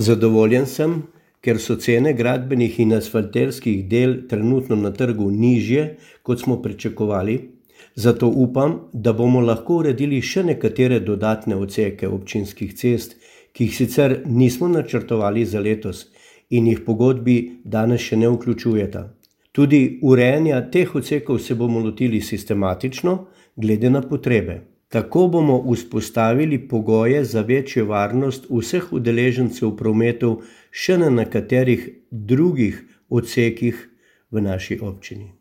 Zadovoljen sem, ker so cene gradbenih in asfalterskih del trenutno na trgu nižje, kot smo pričakovali, zato upam, da bomo lahko uredili še nekatere dodatne odseke občinskih cest, ki jih sicer nismo načrtovali za letos in jih pogodbi danes še ne vključujeta. Tudi urejanja teh odsekov se bomo lotili sistematično, glede na potrebe. Tako bomo vzpostavili pogoje za večjo varnost vseh udeležencev v prometu še na nekaterih drugih odsekih v naši občini.